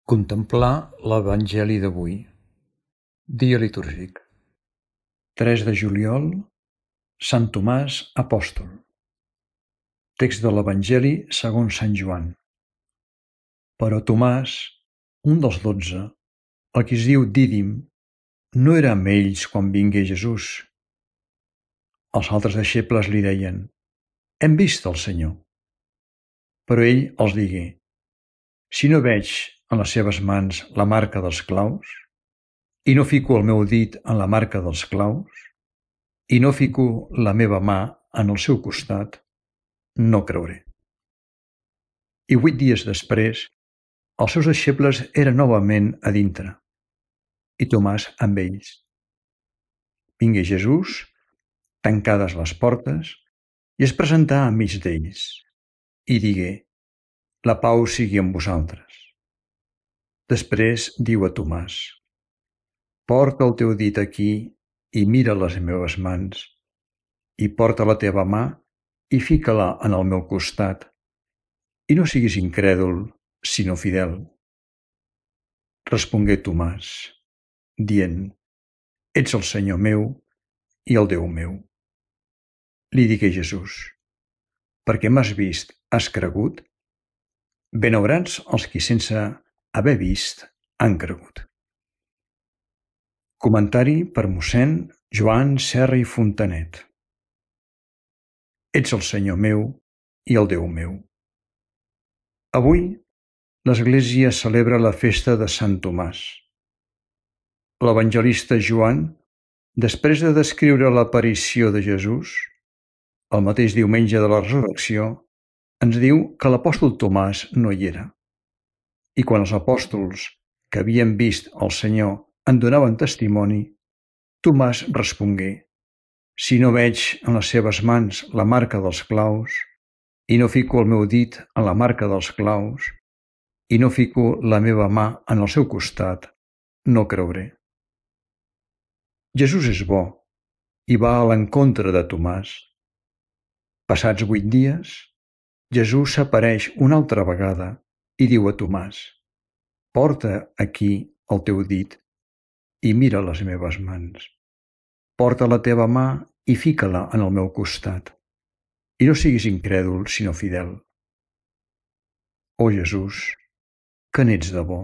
Contemplar l'Evangeli d'avui. Dia litúrgic. 3 de juliol, Sant Tomàs apòstol. Text de l'Evangeli segons Sant Joan. Però Tomàs, un dels 12, el qui es diu Dídim, no era amb ells quan vingué Jesús. Els altres deixebles li deien: «Hem vist el Senyor». Però ell els digué: «Si no veig en les seves mans la marca dels claus, i no fico el meu dit en la marca dels claus, i no fico la meva mà en el seu costat, no creuré». I 8 dies després, els seus deixebles eren novament a dintre, i Tomàs amb ells. Vingué Jesús, tancades les portes, i es presentà enmig d'ells, i digué: «La pau sigui amb vosaltres». Després diu a Tomàs: «Porta el teu dit aquí i mira les meves mans, i porta la teva mà i fica-la en el meu costat, i no siguis incrèdul, sinó fidel». Respongué Tomàs, dient: «Ets el Senyor meu i el Déu meu». Li digué Jesús: «Perquè m'has vist, has cregut? Benaurats els qui sense haver vist han cregut». Comentari per mossèn Joan Serra i Fontanet. Ets el Senyor meu i el Déu meu. Avui l'Església celebra la festa de Sant Tomàs. L'evangelista Joan, després de descriure l'aparició de Jesús, el mateix diumenge de la resurrecció, ens diu que l'apòstol Tomàs no hi era. I quan els apòstols que havien vist el Senyor en donaven testimoni, Tomàs respongué: «Si no veig en les seves mans la marca dels claus, i no fico el meu dit en la marca dels claus, i no fico la meva mà en el seu costat, no creuré». Jesús és bo i va a l'encontre de Tomàs. Passats 8 dies, Jesús s'apareix una altra vegada i diu a Tomàs: «Porta aquí el teu dit i mira les meves mans. Porta la teva mà i fica-la en el meu costat, i no siguis incrèdul, sinó fidel». Oh Jesús, que n'ets de bo!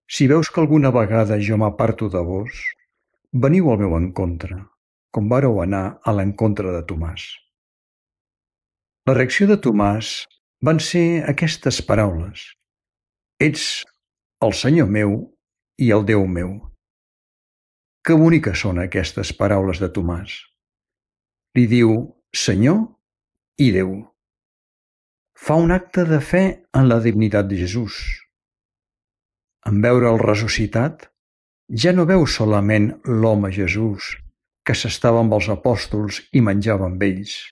Si veus que alguna vegada jo m'aparto de vos, veniu al meu encontre, com vàreu anar a l'encontre de Tomàs. La reacció de Tomàs van ser aquestes paraules: «Ets el Senyor meu i el Déu meu». Que boniques són aquestes paraules de Tomàs. Li diu Senyor i Déu. Fa un acte de fe en la divinitat de Jesús. En veure'l ressuscitat, ja no veu solament l'home Jesús que s'estava amb els apòstols i menjava amb ells,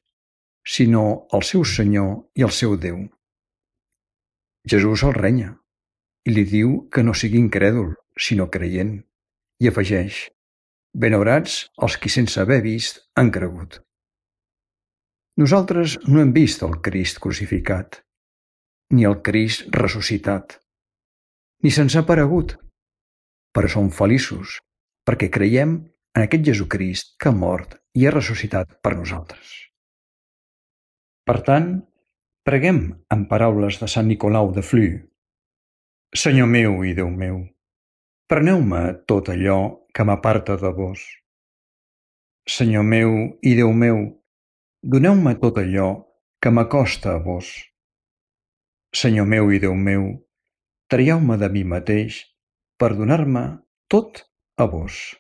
sinó el seu Senyor i el seu Déu. Jesús el renya i li diu que no sigui incrèdul, sinó creient, i afegeix: «Benaurats els qui sense haver vist han cregut». Nosaltres no hem vist el Crist crucificat, ni el Crist ressuscitat, ni se'ns ha aparegut, però som feliços perquè creiem en aquest Jesucrist que ha mort i ha ressuscitat per nosaltres. Per tant, preguem en paraules de Sant Nicolau de Flux: «Senyor meu i Déu meu, preneu-me tot allò que m'aparta de vos. Senyor meu i Déu meu, doneu-me tot allò que m'acosta a vos. Senyor meu i Déu meu, traieu-me de mi mateix per donar-me tot a vos».